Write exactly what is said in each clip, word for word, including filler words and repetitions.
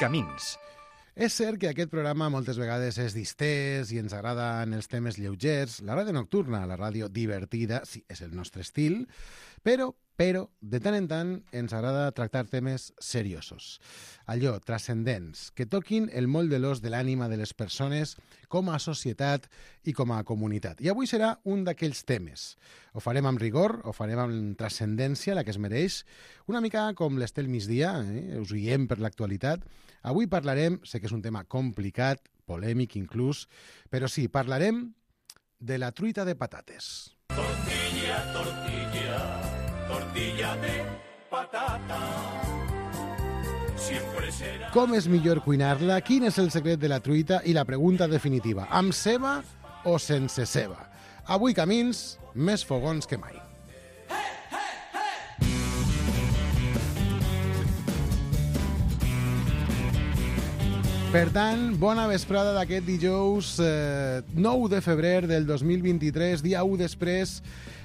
Camins. És cert que aquest programa moltes vegades és distès i ens agraden els temes lleugers. La ràdio nocturna, la ràdio divertida, sí, és el nostre estil, però, però, de tant en tant ens agrada tractar temes seriosos. Allò, transcendents, que toquin el moll de l'os de l'ànima de les persones com a societat i com a comunitat. I avui serà un d'aquells temes. Ho farem amb rigor, ho farem amb transcendència, la que es mereix, una mica com l'Estel Migdia, eh? Us guiem per l'actualitat. Avui parlarem, sé que és un tema complicat, polèmic inclús, però sí, parlarem de la truita de patates. Tortilla, tortilla, tortilla de patata. Siempre será... Com és millor cuinar-la? Quin és el secret de la truita? I la pregunta definitiva, amb ceba o sense ceba? Avui Camins, més fogons que mai. Per tant, bona vesprada d'aquest dijous eh, nou de febrer del dos mil vint-i-tres, dia u després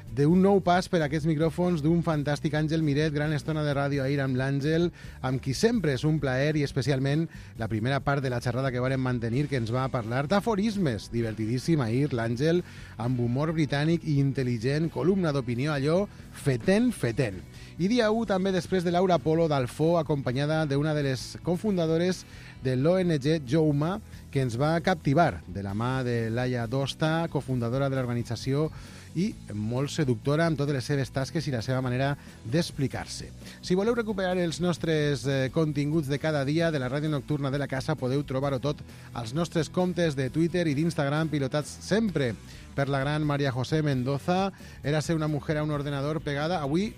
d'un nou pas per aquests micròfons d'un fantàstic Àngel Miret, gran estona de ràdio ahir amb l'Àngel, amb qui sempre és un plaer i especialment la primera part de la xerrada que vàrem mantenir, que ens va parlar d'aforismes. Divertidíssim ahir l'Àngel, amb humor britànic i intel·ligent, columna d'opinió, allò fetent, fetent. I dia u també després de Laura Polo d'Alfó, acompanyada d'una de les cofundadores de l'O N G Jouma, que ens va captivar de la mà de Laia Dosta, cofundadora de l'organització i molt seductora amb totes les seves tasques i la seva manera d'explicar-se. Si voleu recuperar els nostres eh, continguts de cada dia de la ràdio nocturna de la casa, podeu trobar-ho tot als nostres comptes de Twitter i d'Instagram, pilotats sempre per la gran María José Mendoza. Era ser una mujer a un ordenador pegada. Avui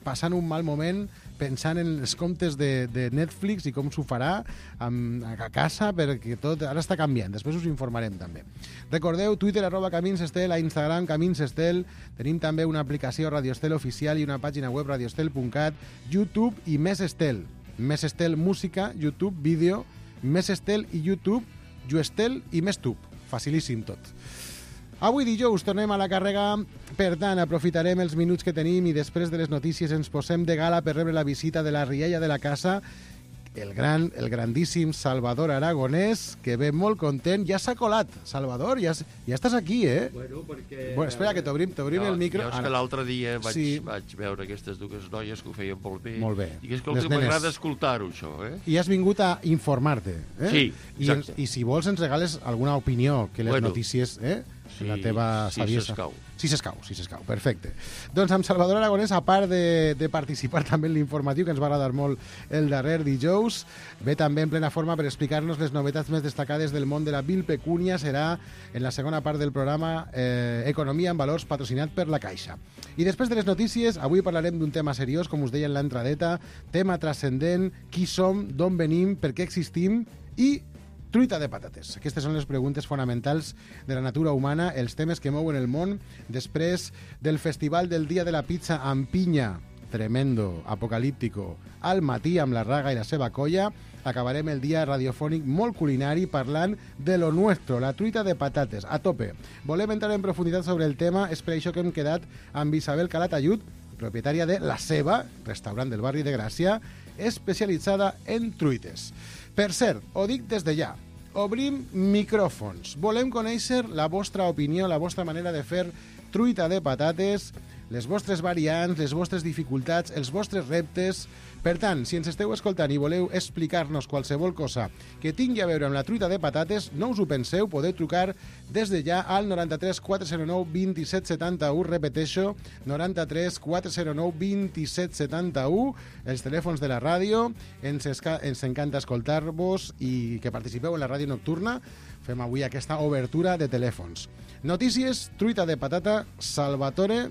passant un mal moment, pensant en els comptes de, de Netflix i com s'ho farà amb, a casa, perquè tot ara està canviant. Després us informarem també. Recordeu, Twitter, arroba Camins Estel, a Instagram, Camins Estel. Tenim també una aplicació Radio Estel oficial i una pàgina web radioestel punt cat, YouTube i Més Estel. Més Estel Música, YouTube, vídeo, Més Estel i YouTube, Juestel i Més Tub. Facilíssim tot. Avui dijous tornem a la càrrega, per tant aprofitarem els minuts que tenim i després de les notícies ens posem de gala per rebre la visita de la rialla de la casa, el gran, el grandíssim Salvador Aragonès, que ve molt content. Ja s'ha colat, Salvador, ja, ja estàs aquí, eh? Bueno, perquè... Bueno, espera, que t'obrim jo, el micro. Jo és que l'altre dia vaig, sí. vaig veure aquestes dues noies que ho feien molt bé. Molt bé. I que, escolta, m'agrada escoltar-ho, això, eh? I has vingut a informar-te, eh? Sí, I, exacte. I si vols ens regales alguna opinió, que les bueno, notícies... Eh? Sí, la teva saviesa. Si s'escau. Si s'escau, si s'escau, perfecte. Doncs amb Salvador Aragonès, a part de, de participar també en l'informatiu, que ens va agradar molt el darrer dijous, ve també en plena forma per explicar-nos les novetats més destacades del món de la vilpecúnia. Serà en la segona part del programa eh, Economia en Valors, patrocinat per la Caixa. I després de les notícies, avui parlarem d'un tema seriós, com us deia en l'entradeta, tema transcendent, qui som, d'on venim, per què existim i truita de patates. Aquestes són les preguntes fonamentals de la natura humana, els temes que mouen el món després del Festival del Dia de la Pizza amb pinya, tremendo, apocalíptico, al matí amb la Raga i la seva colla. Acabarem el dia radiofònic molt culinari parlant de lo nuestro, la truita de patates, a tope. Volem entrar en profunditat sobre el tema, és per això que hem quedat amb Isabel Calatayud, propietària de La Ceba, restaurant del barri de Gràcia, especialitzada en truites. Per cert, ho dic des de ja, obrim micròfons. Volem conèixer la vostra opinió, la vostra manera de fer truita de patates, les vostres variants, les vostres dificultats, els vostres reptes. Per tant, si ens esteu escoltant i voleu explicar-nos qualsevol cosa que tingui a veure amb la truita de patates, no us ho penseu, podeu trucar des de ja al noranta-tres quatre zero nou vint set setanta-u, repeteixo, noranta-tres quatre zero nou vint set setanta-u, els telèfons de la ràdio. Ens, esca... ens encanta escoltar-vos i que participeu en la ràdio nocturna. Fem avui aquesta obertura de telèfons. Notícies, truita de patata, Salvatore,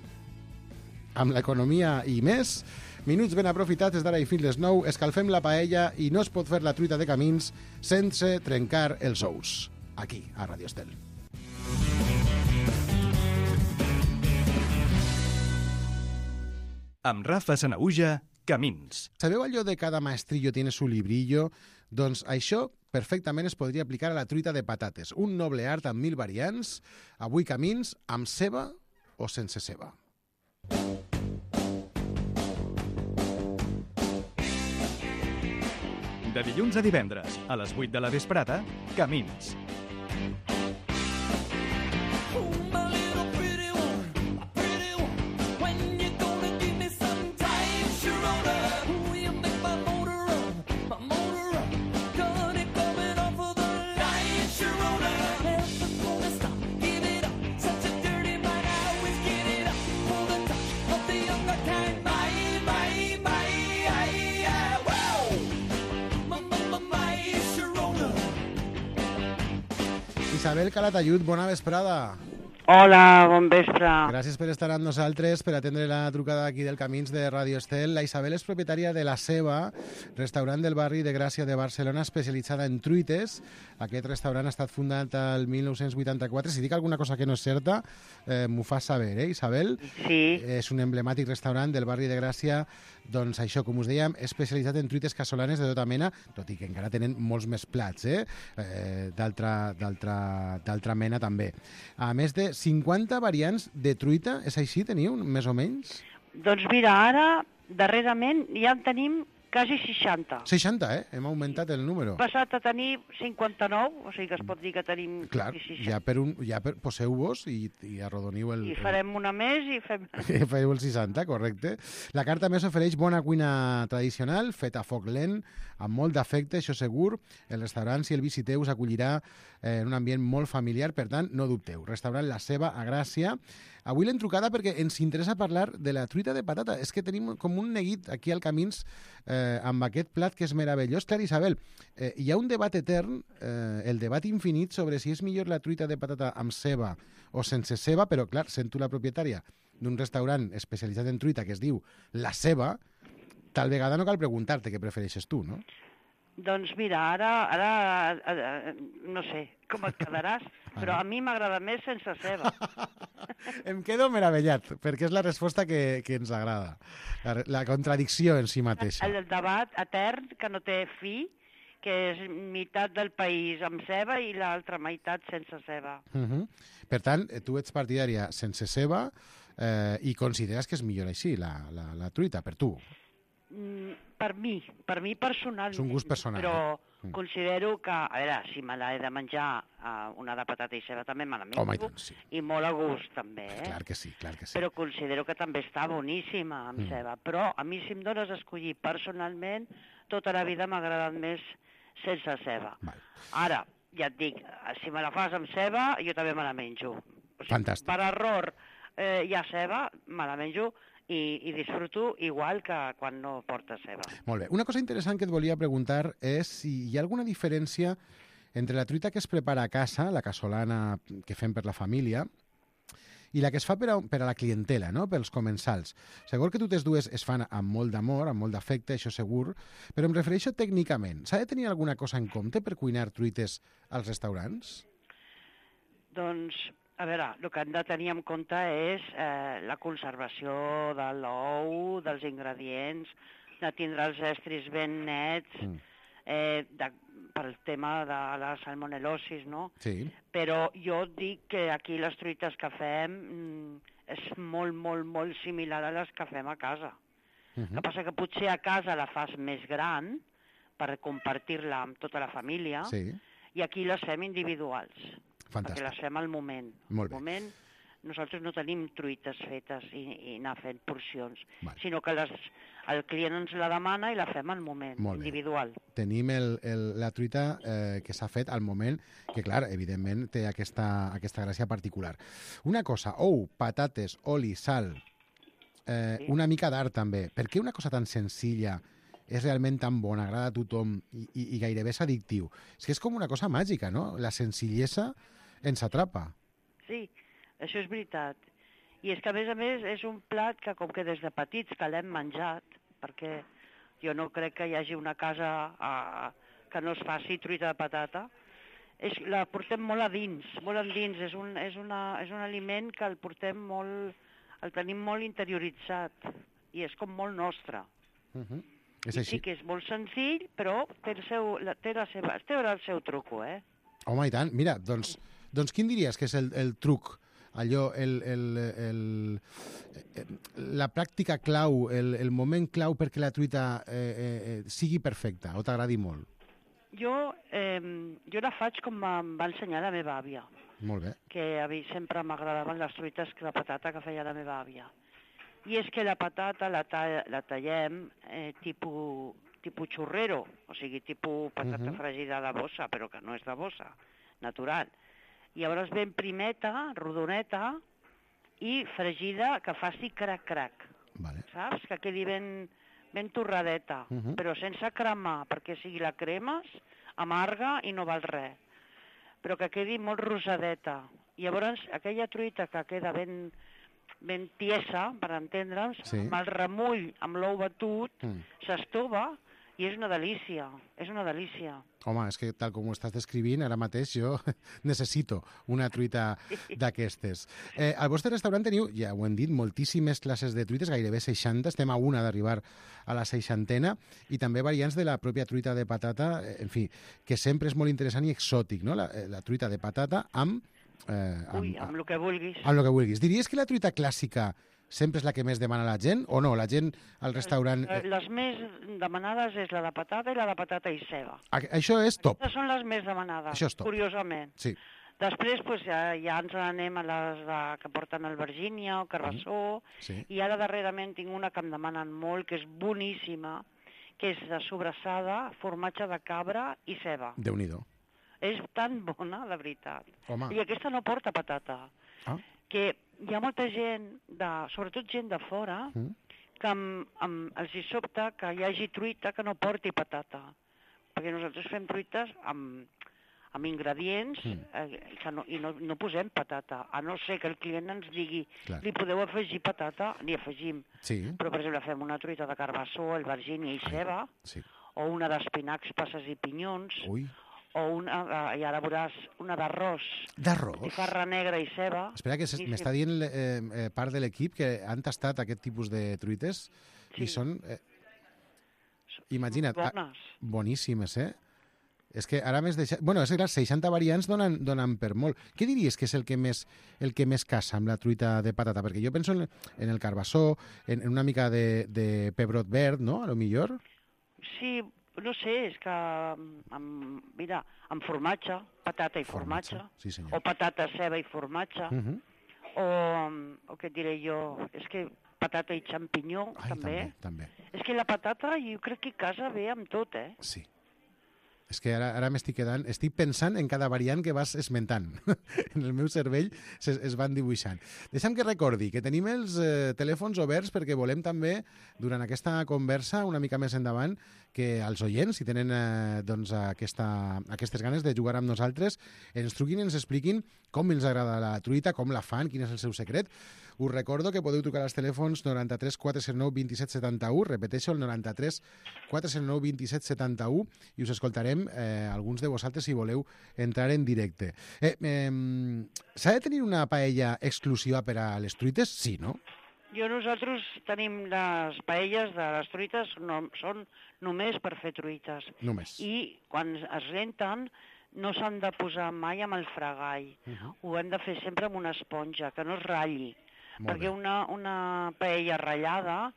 amb l'economia i més. Minuts ben aprofitats des d'ara i fins les nou. Escalfem la paella i no es pot fer la truita de Camins sense trencar els ous. Aquí, a Radio Estel. Amb Rafa Sanahuja, Camins. Sabeu allò de cada maestrillo tiene su librillo? Doncs això perfectament es podria aplicar a la truita de patates. Un noble art amb mil variants. Avui Camins, amb ceba o sense ceba. De dilluns a divendres, a les vuit de la vesprada, Camins. Isabel Calatayud, bona vesprada. Hola, bon vespre. Gràcies per estar amb nosaltres, per atendre la trucada aquí del Camins de Radio Estel. La Isabel és propietària de La Ceba, restaurant del barri de Gràcia de Barcelona, especialitzada en truites. Aquest restaurant ha estat fundat el mil nou-cents vuitanta-quatre. Si dic alguna cosa que no és certa, eh, m'ho fas saber, eh, Isabel? Sí. És un emblemàtic restaurant del barri de Gràcia, doncs això, com us dèiem, especialitzat en truites casolanes de tota mena, tot i que encara tenen molts més plats, eh? eh d'altra, d'altra, d'altra mena també. A més de cinquanta variants de truita, és així, teniu, més o menys? Doncs mira, ara, darrerament, ja en tenim quasi seixanta. seixanta, eh? Hem augmentat el número. Hem passat a tenir cinquanta-nou, o sigui que es pot dir que tenim Clar, seixanta. ja, per un, ja per, poseu-vos i, i arrodoniu el... I farem una més i fem... I feu el seixanta, correcte. La carta més ofereix bona cuina tradicional, feta a foc lent, amb molt d'afecte, això segur. El restaurant, si el visiteu, us acollirà en un ambient molt familiar, per tant, no dubteu. Restaurant La Ceba, a Gràcia. Avui l'hem trucada perquè ens interessa parlar de la truita de patata. És que tenim com un neguit aquí al Camins eh, amb aquest plat que és meravellós. Clar, Isabel, eh, hi ha un debat etern, eh, el debat infinit sobre si és millor la truita de patata amb ceba o sense ceba, però clar, sent tu la propietària d'un restaurant especialitzat en truita que es diu La Ceba, tal vegada no cal preguntar-te què prefereixes tu, no? Doncs mira, ara, ara, ara no sé com et quedaràs, però a mi m'agrada més sense ceba. Em quedo meravellat, perquè és la resposta que, que ens agrada. La, la contradicció en si mateixa. El debat etern que no té fi, que és meitat del país amb ceba i l'altra meitat sense ceba. Uh -huh. Per tant, tu ets partidària sense ceba eh, i consideres que és millor així, la, la, la truita, per tu? Mm, per mi, per mi personalment. És un gust personal. Però eh? considero que, a veure, si me l'he de menjar uh, una de patata i ceba també me la menjo. Home, i tant, sí. I molt a gust també, eh? Clar que sí, clar que sí. Però considero que també està boníssima amb mm. ceba. Però a mi si em dones a escollir personalment, tota la vida m'ha agradat més sense ceba. Val. Ara, ja et dic, si me la fas amb ceba, jo també me la menjo. O sigui, fantàstic. Per error eh, hi ha ceba, me la menjo i, i disfruto igual que quan no porta ceba. Molt bé. Una cosa interessant que et volia preguntar és si hi ha alguna diferència entre la truita que es prepara a casa, la casolana que fem per la família, i la que es fa per a, per a la clientela, no? Pels comensals. Segur que totes dues es fan amb molt d'amor, amb molt d'afecte, això segur, però em refereixo tècnicament. S'ha de tenir alguna cosa en compte per cuinar truites als restaurants? Doncs, a veure, el que hem de tenir en compte és eh, la conservació de l'ou, dels ingredients, de tindre els estris ben nets, mm. eh, de, pel tema de la salmonel·losis, no? Sí. Però jo dic que aquí les truites que fem mm, és molt, molt, molt similar a les que fem a casa. Uh-huh. El que passa que potser a casa la fas més gran per compartir-la amb tota la família, sí. I aquí les fem individuals. Fantàstic. Perquè les fem al moment. Molt bé. Al moment nosaltres no tenim truites fetes i, i anar fent porcions, vale. Sinó que les, el client ens la demana i la fem al moment, individual. Tenim el, el, la truita eh, que s'ha fet al moment, que clar, evidentment té aquesta, aquesta gràcia particular. Una cosa, ou, patates, oli, sal, eh, sí. Una mica d'art també. Per què una cosa tan senzilla és realment tan bona, agrada a tothom i, i, i gairebé és addictiu? És que és com una cosa màgica, no? La senzillesa ens atrapa. Sí, això és veritat. I és que, a més a més, és un plat que, com que des de petits que l'hem menjat, perquè jo no crec que hi hagi una casa a, que no es faci truita de patata, és, la portem molt a dins, molt a dins. És un, és, una, és un aliment que el portem molt, el tenim molt interioritzat i és com molt nostre. Uh-huh. És I així. sí que és molt senzill, però té el seu, la, té la seva, té el seu truco, eh? Home, i tant. Mira, doncs, doncs quin diries que és el, el truc allò, el, el, el, la pràctica clau, el, el moment clau perquè la truita eh, eh, sigui perfecta o t'agradi molt? Jo, eh, jo la faig com em va ensenyar la meva àvia. Molt bé. Que a mi sempre m'agradaven les truites de patata que feia la meva àvia. I és que la patata la, ta la tallem eh, tipus, tipus xurrero, o sigui, tipus patata uh -huh. fregida de bossa, però que no és de bossa, natural. I llavors ben primeta, rodoneta, i fregida que faci crac-crac, vale. saps? Que quedi ben, ben torradeta, uh -huh. però sense cremar, perquè si la cremes, amarga i no val res. Però que quedi molt rosadeta. I llavors aquella truita que queda ben, ben tiesa, per entendre'ns, sí. amb el remull, amb l'ou batut, mm. s'estova i és una delícia, és una delícia. Home, és que tal com ho estàs descrivint, ara mateix jo necessito una truita d'aquestes. Eh, al vostre restaurant teniu, ja ho hem dit, moltíssimes classes de truites, gairebé seixanta, estem a una d'arribar a la seixantena, i també variants de la pròpia truita de patata, en fi, que sempre és molt interessant i exòtic, no? La, la truita de patata amb... Eh, amb Ui, amb el que vulguis. Amb el que vulguis. Diries que la truita clàssica sempre és la que més demana la gent, o no? La gent al restaurant... Les més demanades és la de patata i la de patata i ceba. Això és top. Aquestes són les més demanades, Això és top. Curiosament. Sí. Després pues, ja, ja ens n'anem a les de, que porten el Virgínia o Carbassó, sí. I ara darrerament tinc una que em demanen molt, que és boníssima, que és de sobrassada, formatge de cabra i ceba. Déu-n'hi-do. És tan bona, la veritat. Home. I aquesta no porta patata. Ah. Que hi ha molta gent, de, sobretot gent de fora, mm. que amb, amb, els hi sobta que hi hagi truita que no porti patata. Perquè nosaltres fem truites amb, amb ingredients mm. eh, que no, i no, no posem patata. A no ser que el client ens digui Clar. Li podeu afegir patata, n'hi afegim. Sí. Però, per exemple, fem una truita de carbassó, el Virgínia i ceba, sí. O una d'espinacs, passes i pinyons, Ui. O una, i ara veuràs, una d'arròs. D'arròs? Botifarra negra i ceba. Espera, que m'està dient eh, eh, part de l'equip que han tastat aquest tipus de truites sí. I són... Eh, imagina't. Bones. Ah, boníssimes, eh? És que ara més deixat... Bueno, és que les seixanta variants donen, donen per molt. Què diries que és el que més, el que més casa amb la truita de patata? Perquè jo penso en, en el carbassó, en, en una mica de, de pebrot verd, no?, a lo millor. Sí, no sé, és que, amb, mira, amb formatge, patata i formatge, formatge sí, o patata, ceba i formatge, uh -huh. o, o què et diré jo, és que patata i xampinyó, Ai, també. també. És que la patata jo crec que casa bé amb tot, eh? Sí. És que ara, ara m'estic quedant... Estic pensant en cada variant que vas esmentant. En el meu cervell es, es van dibuixant. Deixa'm que recordi que tenim els eh, telèfons oberts perquè volem també, durant aquesta conversa, una mica més endavant, que els oients, si tenen eh, doncs, aquesta, aquestes ganes de jugar amb nosaltres, ens truquin i ens expliquin com els agrada la truita, com la fan, quin és el seu secret. Us recordo que podeu trucar als telèfons noranta-tres quatre cent nou vint set setanta-u, repeteixo, el noranta-tres quatre cent nou vint set setanta-u, i us escoltarem eh, alguns de vosaltres si voleu entrar en directe. Eh, eh, S'ha de tenir una paella exclusiva per a les truites? Sí, no? Jo, nosaltres tenim les paelles de les truites, no, són només per fer truites. Només. I quan es renten no s'han de posar mai amb el fregall. Uh -huh. Ho hem de fer sempre amb una esponja, que no es ratlli. Molt perquè una, una paella ratllada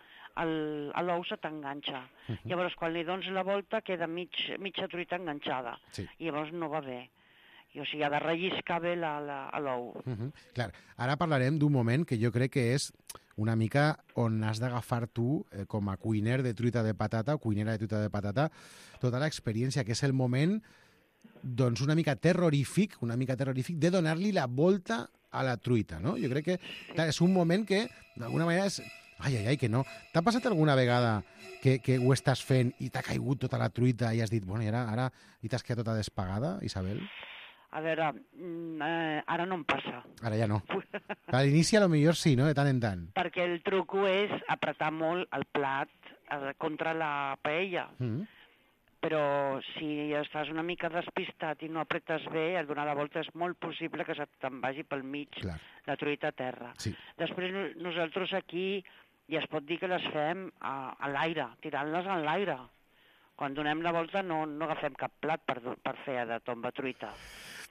l'ou se t'enganxa. Uh -huh. Llavors, quan li dones la volta, queda mig, mitja truita enganxada. Sí. I llavors no va bé. I, o sigui, ha de relliscar bé l'ou. Uh -huh. Clar, ara parlarem d'un moment que jo crec que és una mica on has d'agafar tu, eh, com a cuiner de truita de patata o cuinera de truita de patata, tota l'experiència, que és el moment doncs una mica terrorífic, una mica terrorífic de donar-li la volta a la truita, no? Jo crec que clar, és un moment que, d'alguna manera, és... Ai, ai, ai, que no. T'ha passat alguna vegada que, que ho estàs fent i t'ha caigut tota la truita i has dit, bueno, i ara, ara i t'has quedat tota despagada, Isabel? A veure, eh, ara no em passa. Ara ja no. A l'inici, a lo millor sí, no?, de tant en tant. Perquè el truco és apretar molt el plat eh, contra la paella. Mm-hmm. Però si estàs una mica despistat i no apretes bé, al donar la volta és molt possible que te'n vagi pel mig Clar. La truita a terra. Sí. Després nosaltres aquí ja es pot dir que les fem a, a l'aire, tirant-les en l'aire. Quan donem la volta no, no agafem cap plat per, per fer de tomba truita.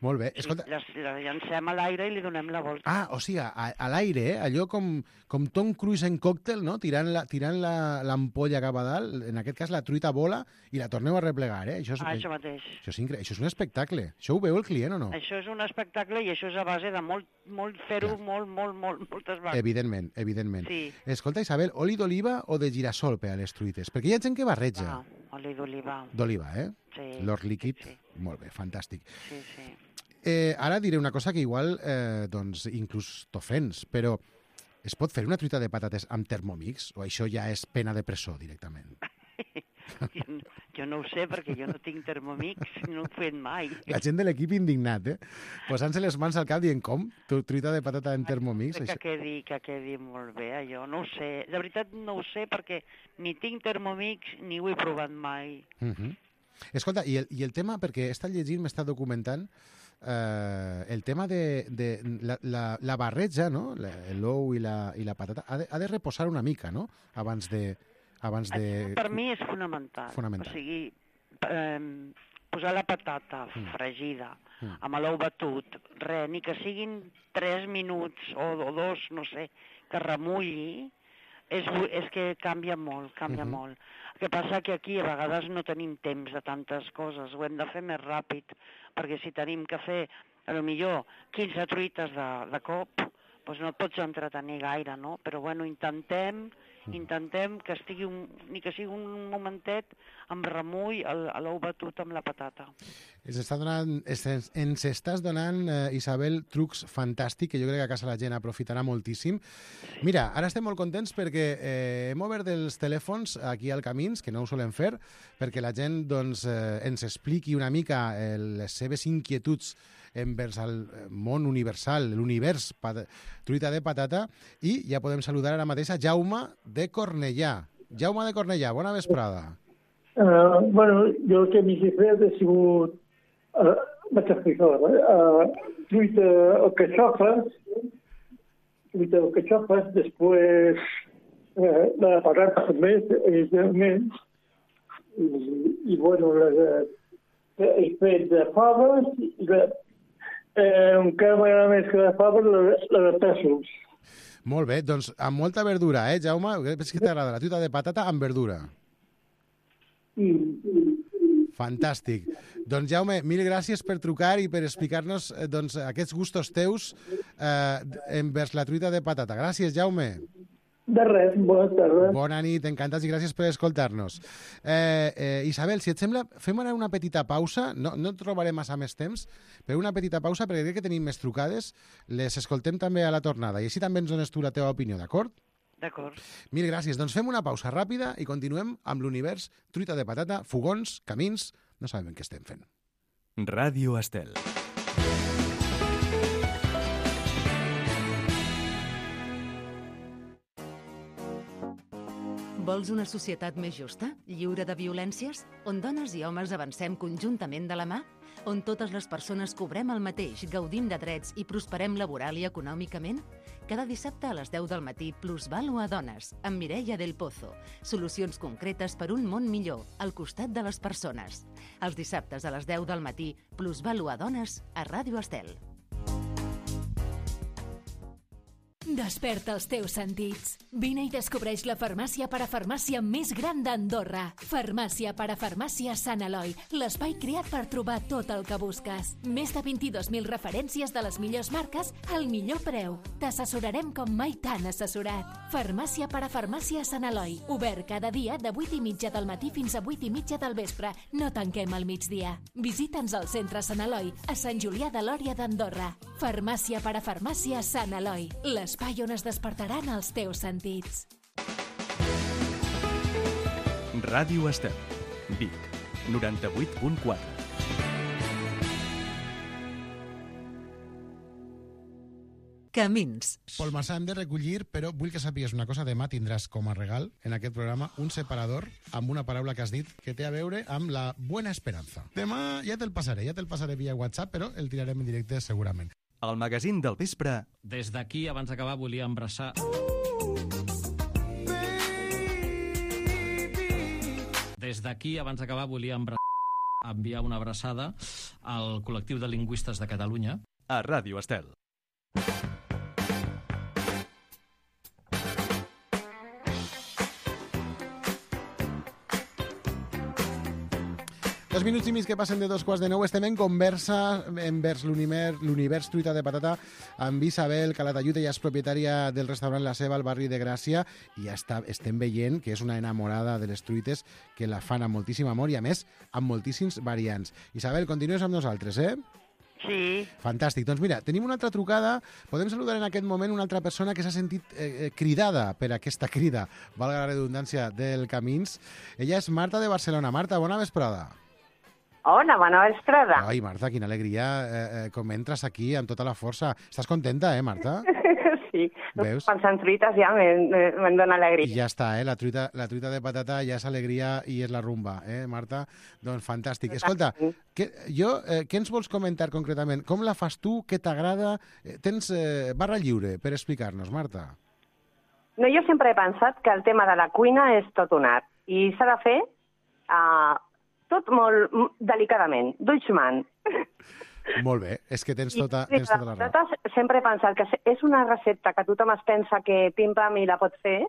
Molt bé. Escolta... Les, les llancem a l'aire i li donem la volta. Ah, o sigui, a, a l'aire, eh? Allò com, com Tom Cruise en còctel, no? Tirant la, tirant l'ampolla cap a dalt, en aquest cas la truita vola i la torneu a replegar, eh? Això és, ah, això mateix. Això és, incre... això és un espectacle. Això ho veu el client o no? Això és un espectacle i això és a base de molt, molt fer-ho Clar. molt, molt, molt, moltes vegades. Evidentment, evidentment. Sí. Escolta, Isabel, oli d'oliva o de girassol per a les truites? Perquè hi ha gent que barreja. Ah, oli d'oliva. D'oliva, eh? Sí. L'or líquid. Sí, sí. Molt bé, fantàstic. Sí, sí. Eh, ara diré una cosa que igual eh, doncs, inclús t'ofens, però es pot fer una truita de patates amb Thermomix o això ja és pena de presó directament? jo, no, jo no ho sé perquè jo no tinc Thermomix, no ho he fet mai. La gent de l'equip indignat, eh? Posant-se les mans al cap dient com? Tu, truita de patata en Thermomix? Que Això... quedi, que quedi molt bé, allò. No ho sé. De veritat no ho sé perquè ni tinc Thermomix ni ho he provat mai. Uh -huh. Escolta, i el, i el tema, perquè he estat llegint, m'he estat documentant, eh, el tema de, de la, la, la barreja, no? L'ou i, la, i la patata, ha de, ha de reposar una mica, no? Abans de... Abans de... Per mi és fonamental. Fonamental. O sigui, eh, posar la patata Mm. fregida Mm. amb l'ou batut, res, ni que siguin tres minuts o, o dos, no sé, que remulli, és, és que canvia molt, canvia Mhm. molt. El que passa que aquí a vegades no tenim temps de tantes coses, ho hem de fer més ràpid, perquè si tenim que fer, a lo millor, quinze truites de, de cop, doncs no et pots entretenir gaire, no? Però bueno, intentem, intentem que estigui un, ni que sigui un momentet amb remull a l'ou batut amb la patata. Ens, està donant, ens, ens estàs donant, eh, Isabel, trucs fantàstics que jo crec que a casa la gent aprofitarà moltíssim. Mira, ara estem molt contents perquè eh, hem obert els telèfons aquí al Camins, que no ho solem fer, perquè la gent doncs, eh, ens expliqui una mica eh, les seves inquietuds envers el món universal, l'univers pat truita de patata, i ja podem saludar ara mateix a Jaume de Cornellà. Jaume de Cornellà, bona vesprada. Uh, bueno, jo el que m'he fet ha sigut, uh, vaig explicar, uh, truita o cachofes, truita o cachofes, després uh, la patata també, evidentment, i, i bueno, la, he fet de faves, i la, eh, encara m'agrada més que de faves, la, la de pèsols. Molt bé, doncs amb molta verdura, eh, Jaume? És que t'agrada la truita de patata amb verdura. Mm. Fantàstic. Doncs, Jaume, mil gràcies per trucar i per explicar-nos eh, doncs, aquests gustos teus eh, envers la truita de patata. Gràcies, Jaume. De res, bona tarda. Bona nit, encantats i gràcies per escoltar-nos. Eh, eh, Isabel, si et sembla, fem ara una petita pausa. No, no et trobaré massa més temps, però una petita pausa perquè crec que tenim més trucades. Les escoltem també a la tornada i així també ens dones tu la teva opinió, d'acord? D'acord. Mil gràcies. Doncs fem una pausa ràpida i continuem amb l'univers truita de patata, fogons, camins... No sabem què estem fent. Ràdio Estel. Vols una societat més justa, lliure de violències, on dones i homes avancem conjuntament de la mà? On totes les persones cobrem el mateix, gaudim de drets i prosperem laboral i econòmicament? Cada dissabte a les deu del matí, Plusvalu a Dones, amb Mireia del Pozo. Solucions concretes per un món millor, al costat de les persones. Els dissabtes a les deu del matí, Plusvalu a Dones, a Ràdio Estel. Desperta els teus sentits. Vine i descobreix la farmàcia parafarmàcia més gran d'Andorra. Farmàcia parafarmàcia Sant Eloi, l'espai creat per trobar tot el que busques. Més de vint-i-dos mil referències de les millors marques al millor preu. T'assessorarem com mai t'han assessorat. Farmàcia parafarmàcia Sant Eloi, obert cada dia de vuit i mitja del matí fins a vuit i mitja del vespre. No tanquem al migdia. Visita'ns al centre Sant Eloi, a Sant Julià de Lòria d'Andorra. Farmàcia parafarmàcia Sant Eloi, l'espai on es despertaran els teus sentits. Ràdio Estel, Vic, noranta-vuit punt quatre. Camins. Pol Massà, hem de recollir, però vull que sàpigues una cosa. Demà tindràs com a regal en aquest programa un separador amb una paraula que has dit que té a veure amb la buena esperanza. Demà ja te'l passaré, ja te'l passaré via WhatsApp, però el tirarem en directe segurament. El magazín del vespre. Des d'aquí, abans d'acabar, volia embraçar... Des d'aquí, abans d'acabar, volia embraçar... enviar una abraçada al col·lectiu de lingüistes de Catalunya. A Ràdio Estel. Dos minuts i mig que passen de dos quarts de nou. Estem en conversa envers l'univers truita de patata amb Isabel Calatayud. Ella és propietària del restaurant La Ceba al barri de Gràcia i ja està, estem veient que és una enamorada de les truites, que la fan amb moltíssim amor i, a més, amb moltíssims variants. Isabel, continues amb nosaltres, eh? Sí. Fantàstic. Doncs mira, tenim una altra trucada. Podem saludar en aquest moment una altra persona que s'ha sentit eh, cridada per aquesta crida, valga la redundància, del Camins. Ella és Marta de Barcelona. Marta, bona vesprada. Hola, bona vesprada. Ai, Marta, quina alegria. Eh, eh, com entres aquí amb tota la força. Estàs contenta, eh, Marta? Sí. Veus? Pensant truites ja me'n dona alegria. I ja està, eh? La truita, la truita de patata ja és alegria i és la rumba, eh, Marta? Doncs fantàstic. Escolta, que, jo, eh, què ens vols comentar concretament? Com la fas tu? Què t'agrada? Eh, tens eh, barra lliure per explicar-nos, Marta. No, jo sempre he pensat que el tema de la cuina és tot un art i s'ha de fer uh, tot molt delicadament, d'ulls-man. Molt bé, és que tens tota, tens tota la raó. Sempre he pensat que és una recepta que tothom es pensa que pim-pam i la pot fer,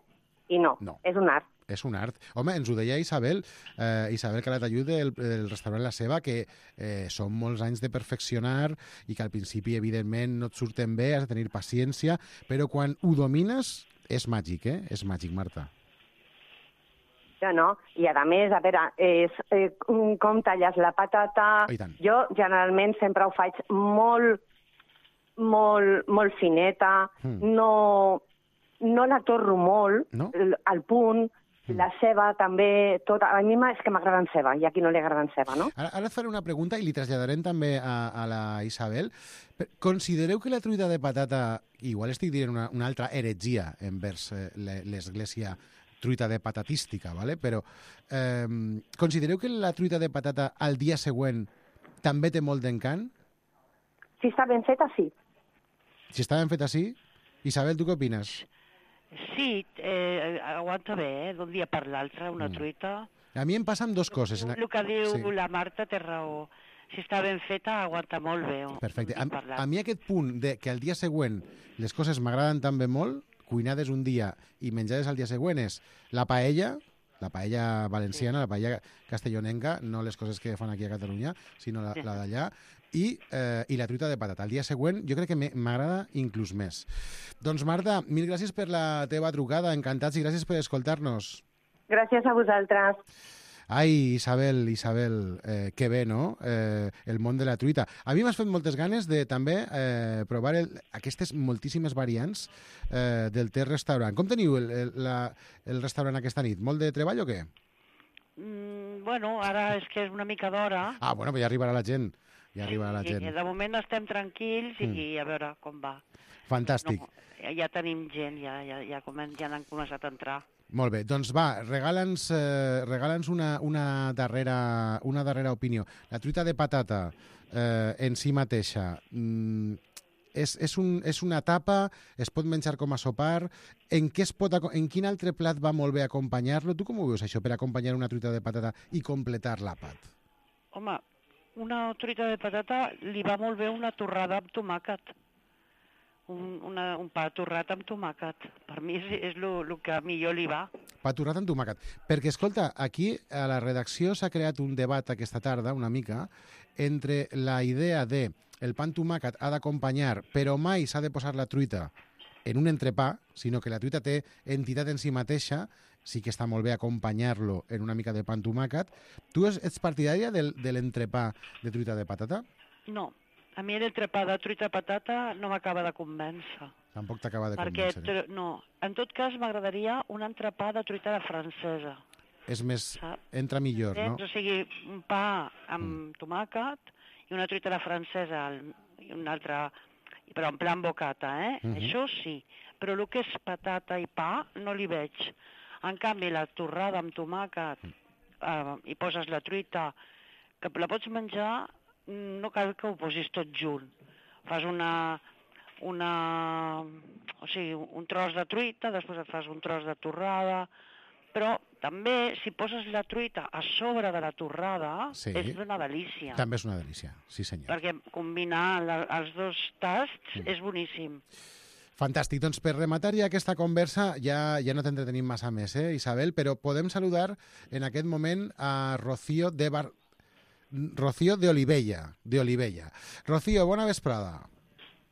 i no, no, és un art. És un art. Home, ens ho deia Isabel, eh, Isabel Calatayud del, del restaurant La Ceba, que eh, són molts anys de perfeccionar i que al principi, evidentment, no et surten bé, has de tenir paciència, però quan ho domines és màgic, eh? És màgic, Marta. No, no, i a més, a veure, és, eh, com talles la patata... Jo generalment sempre ho faig molt, molt, molt fineta, mm. no, no la torro molt, no? al punt, mm. la ceba també, tot, a mi és que m'agraden ceba, i a qui no li agraden ceba, no? Ara, ara et faré una pregunta i li traslladarem també a, a la Isabel. Considereu que la truita de patata, igual estic dient una, una altra heretgia envers eh, l'església truita de patatística, ¿vale? Però eh, considereu que la truita de patata al dia següent també té molt d'encant? Si està ben feta, sí. Si està ben feta, sí? Isabel, tu què opines? Sí, eh, aguanta bé, eh? D'un dia per l'altre, una mm. truita. A mi em passen dues coses. El que diu sí. la Marta té raó. Si està ben feta, aguanta molt bé. Perfecte. A, a mi aquest punt de que al dia següent les coses m'agraden també molt, cuinades un dia i menjades al dia següent, és la paella, la paella valenciana, sí. la paella castellonenca, no les coses que fan aquí a Catalunya, sinó la, la d'allà, i, eh, i la truita de patata. El dia següent jo crec que m'agrada inclús més. Doncs Marta, mil gràcies per la teva trucada, encantats, i gràcies per escoltar-nos. Gràcies a vosaltres. Ai, Isabel, Isabel, eh, que bé, no?, eh, el món de la truita. A mi m'has fet moltes ganes de també eh, provar el, aquestes moltíssimes variants eh, del teu restaurant. Com teniu el, el, la, el restaurant aquesta nit? Molt de treball o què? Mm, bueno, ara és que és una mica d'hora. Ah, bueno, però ja arribarà la gent. Ja arribarà la gent. I, de moment estem tranquils i mm. a veure com va. Fantàstic. No, ja tenim gent, ja, ja, ja, comen, ja han començat a entrar. Molt bé, doncs va, regala'ns eh, regala'ns una, una, darrera, una darrera opinió. La truita de patata eh, en si mateixa mm, és, és, un, és una tapa, es pot menjar com a sopar, en, què es pot, en quin altre plat va molt bé acompanyar-lo? Tu com ho veus això per acompanyar una truita de patata i completar l'àpat? Home, una truita de patata li va molt bé una torrada amb tomàquet. Un, una, un pa torrat amb tomàquet. Per mi és, és el que millor li va. Pa torrat amb tomàquet. Perquè, escolta, aquí a la redacció s'ha creat un debat aquesta tarda, una mica, entre la idea de el pa amb tomàquet ha d'acompanyar, però mai s'ha de posar la truita en un entrepà, sinó que la truita té entitat en si mateixa, sí que està molt bé acompanyar-lo en una mica de pa amb tomàquet. Tu ets partidària del, de l'entrepà de truita de patata? No. A mi l'entrepà de truita de patata no m'acaba de convèncer. Tampoc t'acaba de Perquè, convèncer. No, en tot cas m'agradaria un entrepà de truita de francesa. És més, saps? Entra millor, no? O sigui, un pa amb mm. tomàquet i una truita de francesa i una altra, però en plan bocata, eh? Mm-hmm. Això sí, però el que és patata i pa no li veig. En canvi, la torrada amb tomàquet mm. eh, i poses la truita, que la pots menjar, no cal que ho posis tot junt. Fas una, una, o sigui, un tros de truita, després et fas un tros de torrada, Però també, si poses la truita a sobre de la torrada, sí. és una delícia. També és una delícia, sí senyor. Perquè combinar la, els dos tasts mm. és boníssim. Fantàstic. Doncs per rematar ja aquesta conversa, ja, ja no t'entretenim massa més, eh, Isabel, però podem saludar en aquest moment a Rocío de Bar... Rocío de Olivella. De Olivella. Rocío, bona vesprada.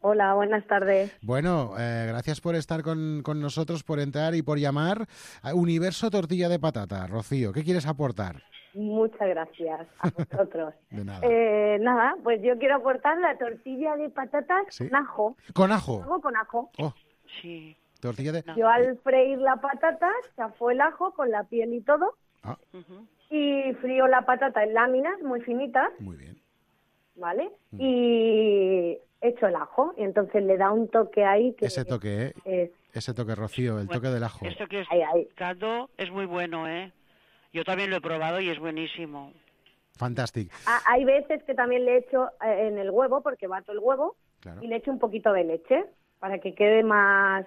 Hola, buenas tardes. Bueno, eh, gracias por estar con, con nosotros, por entrar y por llamar a Universo Tortilla de Patata. Rocío, ¿qué quieres aportar? Muchas gracias a vosotros. De nada. Eh, nada, pues yo quiero aportar la tortilla de patatas ¿Sí? con ajo. ¿Con ajo? Hago con ajo. Oh. Sí. Tortilla de... Yo al freír la patata, chafó el ajo con la piel y todo. Ah. Uh-huh. Y frío la patata en láminas muy finitas. Muy bien. ¿Vale? Mm. Y echo el ajo. Y entonces le da un toque ahí que... Ese toque, ¿eh? Es... Ese toque, Rocío, el bueno, toque del ajo. Esto que es ahí, ahí. caldo es muy bueno, ¿eh? Yo también lo he probado y es buenísimo. Fantástico. Ah, hay veces que también le echo eh, en el huevo, porque bato el huevo, claro. y le echo un poquito de leche para que quede más...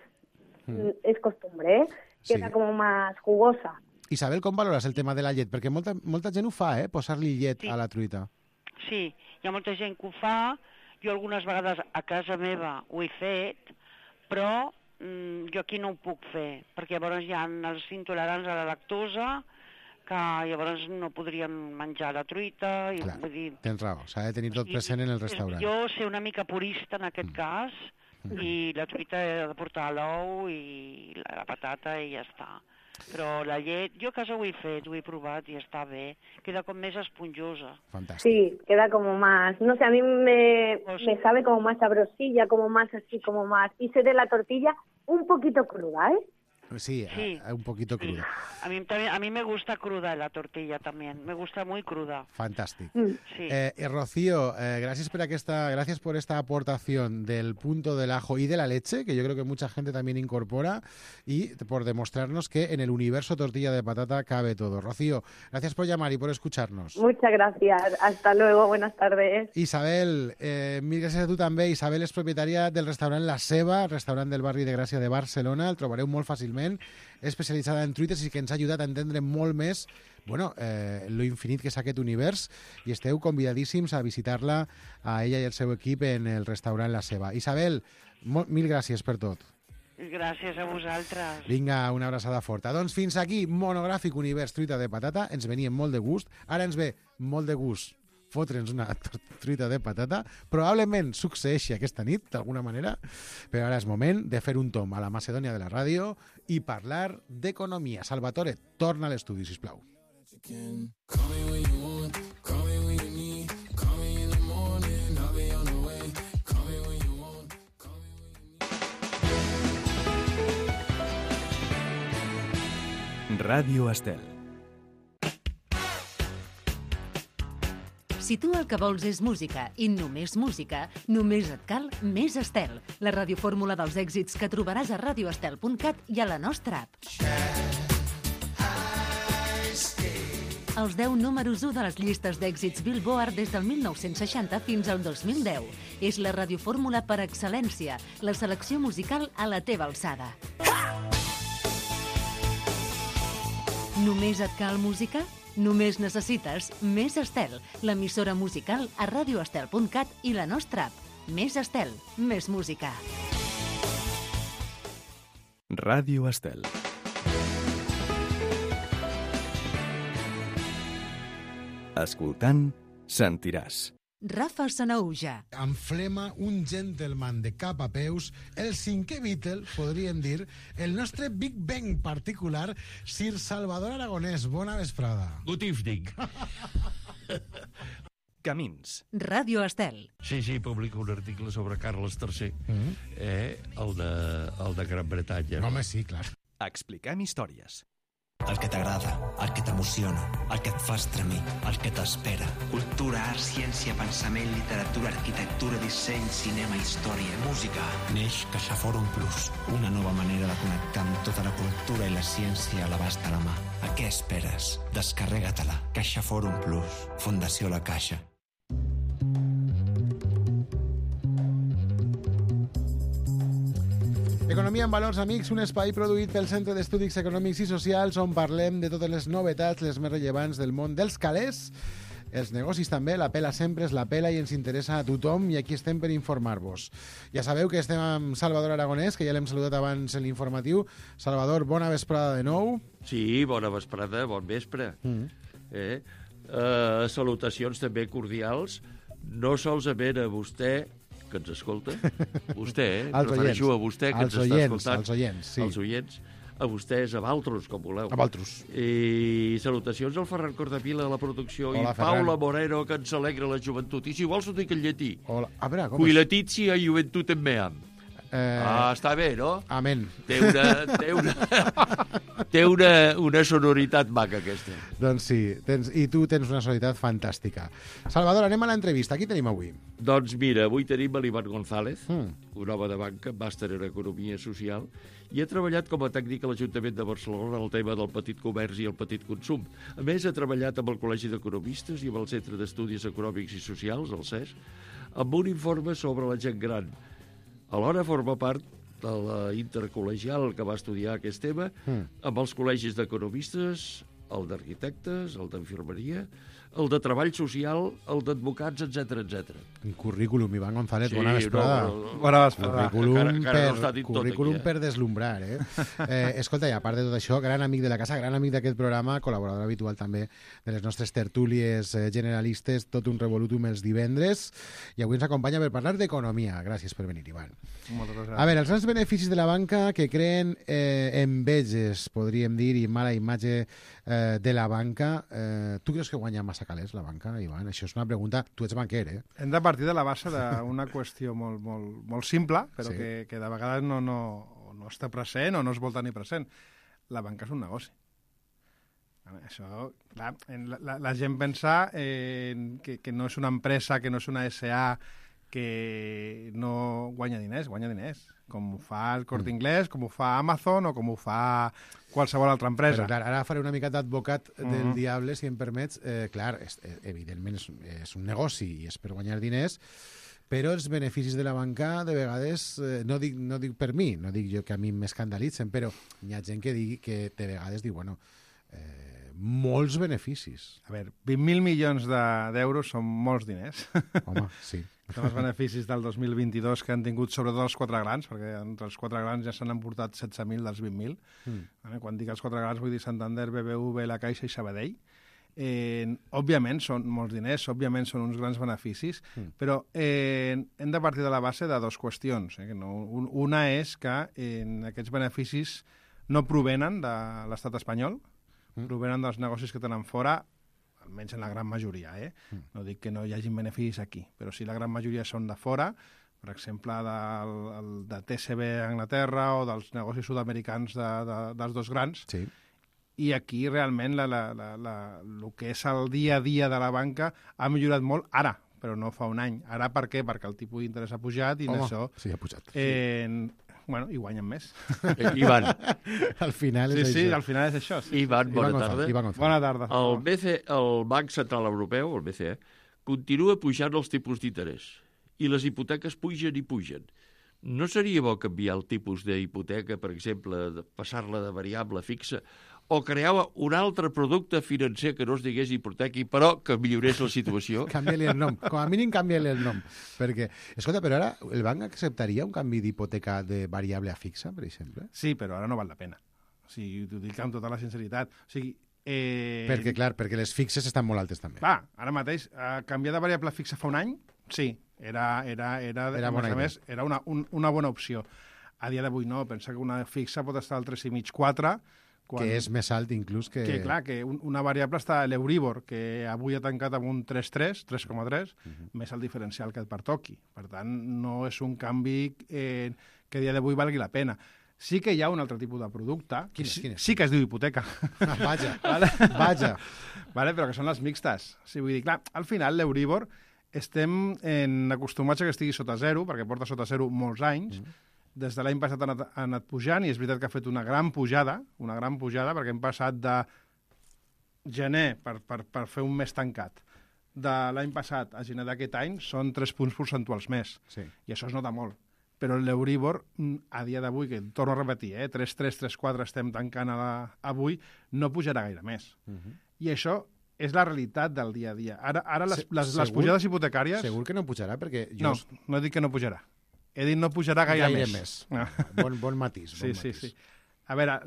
Mm. Es costumbre, ¿eh? Queda sí. como más jugosa. Isabel, com valores el tema de la llet? Perquè molta, molta gent ho fa, eh? Posar-li llet sí. a la truita. Sí, hi ha molta gent que ho fa. Jo algunes vegades a casa meva ho he fet, però mm, jo aquí no ho puc fer, perquè llavors hi ha els intolerants a la lactosa que llavors no podrien menjar la truita. I, Clar, vull dir, tens raó, s'ha de tenir tot present en el restaurant. Jo sé una mica purista en aquest mm. cas, mm. i la truita he de portar l'ou i la, la patata i ja està. Però la llet, jo a casa ho he fet, ho he provat i està bé. Queda com més esponjosa. Fantàstic. Sí, queda como más, no sé, a mí me, pues, me sabe como más sabrosilla, como más así, como más... Y sé de la tortilla un poquito cruda, ¿eh? Sí, sí. A, a un poquito cruda. Sí. A mí también, a mí me gusta cruda la tortilla también, me gusta muy cruda. Fantàstic. Mm. Sí. Eh, eh, Rocío, eh, gracias por aquesta, gracias por esta aportación del punto del ajo y de la leche, que yo creo que mucha gente también incorpora, y por demostrarnos que en el universo tortilla de patata cabe todo. Rocío, gracias por llamar y por escucharnos. Muchas gracias. Hasta luego. Buenas tardes. Isabel, eh, mil gràcies a tu també. Isabel és propietària del restaurant La Ceba, restaurant del barri de Gràcia de Barcelona. El trobareu molt fàcilment. Especialitzada en truites i que ens ha ajudat a entendre molt més bueno, eh, lo infinit que és aquest univers, i esteu convidadíssims a visitar-la, a ella i el seu equip, en el restaurant La Ceba. Isabel, mil gràcies per tot. Gràcies a vosaltres. Vinga, una abraçada forta. Doncs fins aquí, monogràfic univers truita de patata. Ens venia molt de gust. Ara ens ve molt de gust fotre'ns una truita de patata. Probablement succeeixi aquesta nit, d'alguna manera, però ara és moment de fer un tom a la Macedònia de la ràdio i parlar d'economia. Salvatore, torna a l'estudi, sisplau. Ràdio Estel. Si tu el que vols és música i només música, només et cal Més Estel, la radiofórmula dels èxits que trobaràs a radio estel punt cat i a la nostra app. Els deu números u de les llistes d'èxits Billboard des del mil nou-cents seixanta fins al dos mil deu. És la radiofórmula per excel·lència, la selecció musical a la teva alçada. Només et cal música? Només necessites Més Estel, l'emissora musical a radio estel punt cat i la nostra app. Més Estel, més música. Ràdio Estel. Escoltant, sentiràs. Rafa Sanahuja. Amb flema, un gentleman de cap a peus, el cinquè Beatle, podríem dir, el nostre Big Bang particular, Sir Salvador Aragonès. Bona vesprada. Good evening. Camins. Ràdio Estel. Sí, sí, publico un article sobre Carles tercer, mm-hmm. eh, el, de, el de Gran Bretanya. Home, sí, clar. Expliquem històries. El que t'agrada, el que t'emociona, el que et fa estremir, el que t'espera. Cultura, art, ciència, pensament, literatura, arquitectura, disseny, cinema, història, música. Neix CaixaForum Plus, una nova manera de connectar amb tota la cultura i la ciència a l'abast de la mà. A què esperes? Descarrega-te-la. CaixaForum Plus, Fundació La Caixa. Economia en Valors, amics, un espai produït pel Centre d'Estudis Econòmics i Socials on parlem de totes les novetats, les més rellevants del món dels calés, els negocis també, la pela sempre és la pela i ens interessa a tothom i aquí estem per informar-vos. Ja sabeu que estem amb Salvador Aragonès, que ja l'hem saludat abans en l'informatiu. Salvador, bona vesprada de nou. Sí, bona vesprada, bon vespre. Mm. Eh? Uh, salutacions també cordials, no solament a vostè, que ens escolta, vostè, eh? Els refereixo oients. a vostè que Els ens oients, està escoltant. els oients, sí. Els oients, a vostès, a Valtros, com voleu. A Valtros. I salutacions al Ferran Cordapila a la producció. Hola, i Paula Moreno, que ens alegra la joventut. I si vols ho dic en llatí. Hola. A veure, com Qui és? letizia joventut en meam. Eh... Ah, està bé, no? Amén. Té una, té una, té una, una sonoritat maca, aquesta. Doncs sí, tens, i tu tens una sonoritat fantàstica. Salvador, anem a l'entrevista. Qui tenim avui? Doncs mira, avui tenim l'Ivan González, Mm. un home de banca, màster en Economia Social, i ha treballat com a tècnic a l'Ajuntament de Barcelona en el tema del petit comerç i el petit consum. A més, ha treballat amb el Col·legi d'Economistes i amb el Centre d'Estudis Econòmics i Socials, el C E S, amb un informe sobre la gent gran. Alhora forma part de la intercol·legial que va estudiar aquest tema Mm. amb els col·legis d'economistes, el d'arquitectes, el d'infermeria, el de treball social, el d'advocats, etcètera, etcètera. Un currículum, Ivan González, Sí, bona vesprada. no, no, no. Bona vesprada. Currículum, Encara- encara no per, està dit tot currículum aquí, eh? per deslumbrar, eh? eh? Escolta, i a part de tot això, gran amic de la casa, gran amic d'aquest programa, col·laborador habitual també de les nostres tertúlies eh, generalistes, tot un revolutum els divendres, i avui ens acompanya per parlar d'economia. Gràcies per venir, Ivan. Moltes gràcies. A veure, els grans beneficis de la banca que creen eh, enveges, podríem dir, i mala imatge eh, de la banca. Eh, tu creus que guanya massa calés la banca, Ivan? Això és una pregunta. Tu ets banquer, eh? Hem de partir de la base d'una qüestió molt, molt, molt simple, però Sí. sí. que, que de vegades no, no, no està present o no es vol tenir present. La banca és un negoci. Això, clar, en la, la, la gent pensa eh, que, que no és una empresa, que no és una S A, que no guanya diners, guanya diners, com ho fa el Corte Inglés, com ho fa Amazon o com ho fa qualsevol altra empresa. Però clar, ara faré una mica d'advocat del Mhm. diable, si em permets. Eh, clar, és, eh, evidentment és, és un negoci i és per guanyar diners, però els beneficis de la banca de vegades, eh, no, dic, no dic per mi, no dic jo que a mi m'escandalitzen, però hi ha gent que, digui, que de vegades diu, bueno, eh, molts beneficis. A veure, vint mil milions de- d'euros són molts diners. Home, sí. Són els beneficis del dos mil vint-i-dos que han tingut sobretot els quatre grans, perquè entre els quatre grans ja s'han emportat setze mil dels vint mil. Mm. Vale? Quan dic els quatre grans vull dir Santander, B B V, La Caixa i Sabadell. Eh, òbviament són molts diners, òbviament són uns grans beneficis, Mm. però eh, hem de partir de la base de dues qüestions. Eh? Que no, un, una és que eh, aquests beneficis no provenen de l'estat espanyol, Mm. provenen dels negocis que tenen fora, almenys en la gran majoria, eh? Mm. No dic que no hi hagin beneficis aquí, però sí la gran majoria són de fora, per exemple, del, el, de T C B a Anglaterra o dels negocis sud-americans de, de, dels dos grans, Sí. i aquí realment la, la, la, la, el que és el dia a dia de la banca ha millorat molt ara, però no fa un any. Ara per què? Perquè el tipus d'interès ha pujat i en Home, això... sí, ha pujat. Eh, bueno, i guanyen més. Eh, Ivan. Al final és Sí, sí, això. al final és això. Sí, Ivan, sí, bona Ivan tarda. González, Ivan González. Bona tarda. El, B C, el Banc Central Europeu, el B C E, continua pujant els tipus d'interès i les hipoteques pugen i pugen. No seria bo canviar el tipus d'hipoteca, per exemple, de passar-la de variable a fixa, o crear un altre producte financer que no es digués hipoteca, però que millorés la situació? Canvia-li el nom. Com a mínim canvia-li el nom. Perquè, escolta, però ara el banc acceptaria un canvi d'hipoteca de variable a fixa, per exemple? Sí, però ara no val la pena. O sigui, t'ho dic amb tota la sinceritat. O sigui, eh... Perquè, clar, perquè les fixes estan molt altes també. Clar, ara mateix, eh, canviar de variable fixa fa un any, sí, era, era, era, Era bona a idea. més, era una, un, una bona opció. A dia d'avui no, pensa que una fixa pot estar al tres i mig quatre, quan... Que és més alt inclús que... Que, clar, que un, una variable està a l'Euríbor, que avui ha tancat amb un tres coma tres, tres coma tres, Mhm. més el diferencial que et pertoqui. Per tant, no és un canvi eh, que a dia d'avui valgui la pena. Sí que hi ha un altre tipus de producte, Quin és, sí, quin és? sí que es diu hipoteca. Ah, vaja, vale? vaja. Vale, però que són les mixtes. O sigui, vull dir, clar, al final l'Euríbor estem en acostumats a que estigui sota zero, perquè porta sota zero molts anys. Mm. Des de l'any passat ha anat, ha anat pujant, i és veritat que ha fet una gran pujada, una gran pujada, perquè hem passat de gener, per, per, per fer un mes tancat, de l'any passat a gener d'aquest any, són tres punts percentuals més. Sí. I això es nota molt. però l'Euríbor, a dia d'avui, que torno a repetir, eh, tres coma tres, tres coma quatre estem tancant a la, avui, no pujarà gaire més. Uh-huh. I això és la realitat del dia a dia. Ara, ara les, les, les pujades hipotecàries... Segur que no pujarà, perquè... Jo... No, no dic que no pujarà. He dit no pujarà gaire, gaire més. més. Ah. Bon, bon matís. Bon sí, matís. sí, sí. A veure,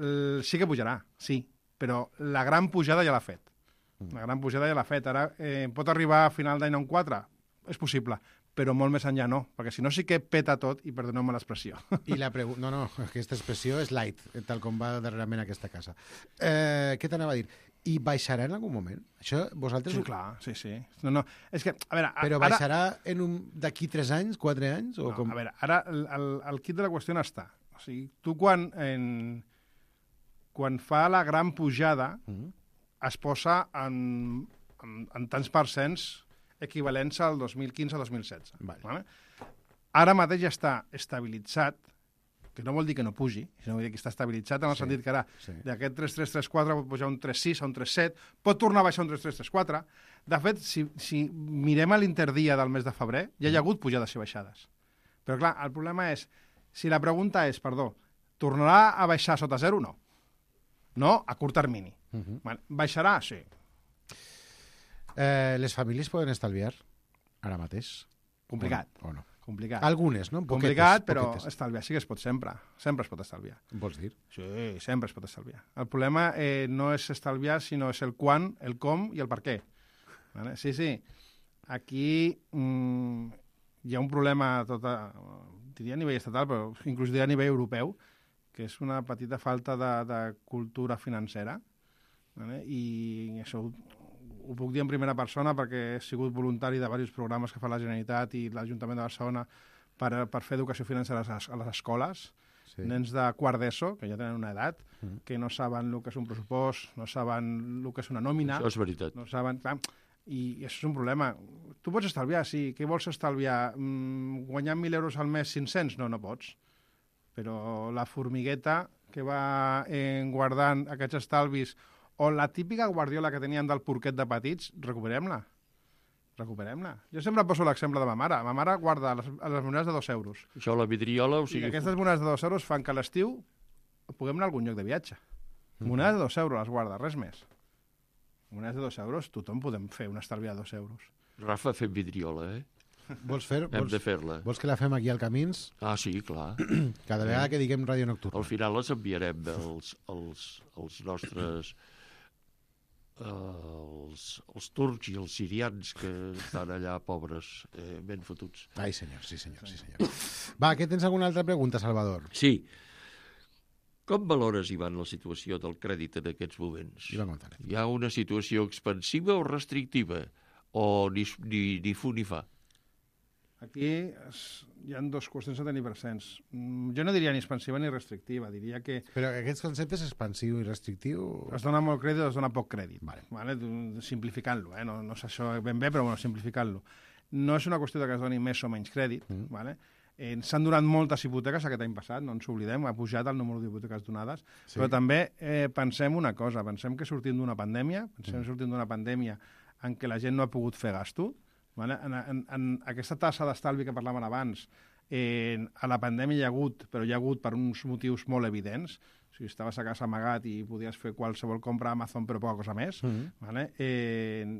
sí que pujarà, sí, però la gran pujada ja l'ha fet. Mm. La gran pujada ja l'ha fet. Ara eh, pot arribar a final d'any a un quatre? És possible, però molt més enllà no, perquè si no sí que peta tot i perdoneu-me l'expressió. I la pregunta... No, no, aquesta expressió és light, tal com va darrerament aquesta casa. Eh, què t'anava a dir? I baixarà en algun moment? Això vosaltres... Sí, clar, sí, sí. No, no, és que, a veure... Però baixarà ara... en un... d'aquí tres anys, quatre anys? O no, com... A veure, ara el, el, el kit de la qüestió no està. O sigui, tu quan, en... quan fa la gran pujada mm-hmm. es posa en, en, en tants percents equivalents al dos mil quinze dos mil setze. Vale. Vale? Ara mateix ja està estabilitzat, que no vol dir que no pugi, sinó vol dir que està estabilitzat en el sí, sentit que ara sí. d'aquest tres coma tres tres quatre pot pujar un tres coma sis, a un tres coma set, pot tornar a baixar un tres coma tres tres quatre. De fet, si, si mirem a l'interdia del mes de febrer, ja hi ha hagut pujades i baixades. Però clar, el problema és, si la pregunta és, perdó, tornarà a baixar sota zero? No. No, a curt termini. Uh-huh. Bueno, baixarà? Sí. Eh, les famílies poden estalviar ara mateix? Complicat. O no? Complicat. Algunes, no? Poquetes, Complicat, però poquetes. Estalviar sí que es pot sempre. Sempre es pot estalviar. Vols dir? Sí, sempre es pot estalviar. El problema eh, no és estalviar, sinó és el quan, el com i el per què. Vale? Sí, sí. Aquí mm, hi ha un problema, tota, diria a nivell estatal, però inclús diria a nivell europeu, que és una petita falta de, de cultura financera. Vale? I això ho, ho puc dir en primera persona perquè he sigut voluntari de diversos programes que fa la Generalitat i l'Ajuntament de Barcelona per, per fer educació financera a les, a les escoles. Sí. Nens de quart d'ESO, que ja tenen una edat, mm. que no saben el que és un pressupost, no saben el que és una nòmina. Això és veritat. No saben... Clar, i, I això és un problema. Tu pots estalviar, sí. Què vols estalviar? Mm, guanyar mil euros al mes, cinc-cents? No, no pots. Però la formigueta que va eh, guardant aquests estalvis o la típica guardiola que teníem del porquet de petits, recuperem-la. Recuperem-la. Jo sempre poso l'exemple de ma mare. Ma mare guarda les, les monedes de dos euros. Això, la vidriola... O sigui... I aquestes monedes de dos euros fan que a l'estiu puguem anar a algun lloc de viatge. Mm-hmm. Monedes de dos euros les guarda, res més. Monedes de dos euros, tothom podem fer un estalviar de dos euros. Rafa fent vidriola, eh? Vols fer? Hem vols, de fer-la. Vols que la fem aquí al Camins? Ah, sí, clar. Cada vegada que diguem Ràdio Nocturna. Al final les enviarem els, els, els nostres... Els, els turcs i els sirians que estan allà pobres, eh, ben fotuts. Ai, senyor, sí, senyor, sí, senyor. Va, què tens alguna altra pregunta, Salvador? Sí. Com valores, Ivan, la situació del crèdit en aquests moments? Ivan González. Hi ha una situació expansiva o restrictiva? O ni, ni, ni fu ni fa? Aquí es, hi ha dues qüestions a tenir presents. Jo no diria ni expansiva ni restrictiva, diria que... Però aquests conceptes, expansiu i restrictiu... Es dona molt crèdit o es dona poc crèdit, vale. Vale? Simplificant-lo, eh? no, no és això ben bé, però bueno, simplificant-lo. No és una qüestió de que es doni més o menys crèdit, mm. vale? eh, s'han donat moltes hipoteques aquest any passat, no ens oblidem, ha pujat el número d'hipoteques donades, sí. Però també eh, pensem una cosa, pensem que sortim d'una pandèmia, pensem mm. que sortim d'una pandèmia en què la gent no ha pogut fer gasto. Vale? En, en, en aquesta tassa d'estalvi que parlàvem abans, eh, a la pandèmia hi ha hagut, però hi ha hagut per uns motius molt evidents. O sigui, estaves a casa amagat i podies fer qualsevol compra a Amazon, però poca cosa més. Mm-hmm. Vale? Eh,